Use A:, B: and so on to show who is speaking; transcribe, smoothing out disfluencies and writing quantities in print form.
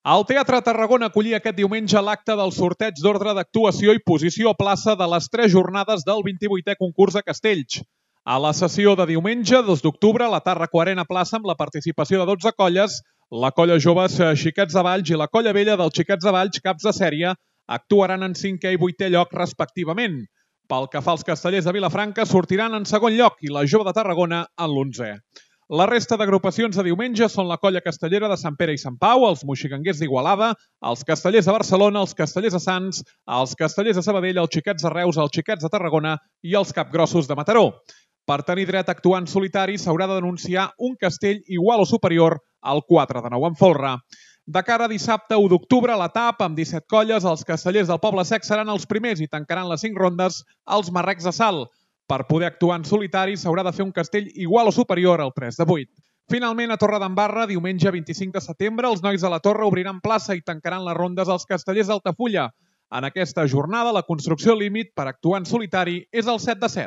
A: El Teatre Tarragona acollia aquest diumenge l'acte del sorteig d'ordre d'actuació i posició a plaça de les 3 jornades del 28è concurs a Castells. A la sessió de diumenge, 2 d'octubre, la Tàrraco Arena Plaça amb la participació de 12 colles, la colla joves Xiquets de Valls i la colla vella dels Xiquets de Valls, caps de sèrie, actuaran en 5è i 8è lloc respectivament. Pel que fa als castellers de Vilafranca, sortiran en segon lloc i la jove de Tarragona en l'11è. La resta d'agrupacions de diumenge són la colla castellera de Sant Pere i Sant Pau, els moixiganguers d'Igualada, els castellers de Barcelona, els castellers de Sants, els castellers de Sabadell, els Xiquets de Reus, els Xiquets de Tarragona i els capgrossos de Mataró. Per tenir dret a actuar en solitari s'haurà de denunciar un castell igual o superior al 4 de 9 en folre. De cara a dissabte 1 d'octubre, a l'etapa, amb 17 colles, els castellers del Poble Sec seran els primers i tancaran les 5 rondes als Marrecs de Salt. Per poder actuar en solitari s'haurà de fer un castell igual o superior al 3 de 8. Finalment, a Torredembarra, diumenge 25 de setembre, els nois de la Torre obriran plaça i tancaran les rondes als castellers d'Altafulla. En aquesta jornada, la construcció límit per actuar en solitari és el 7 de 7.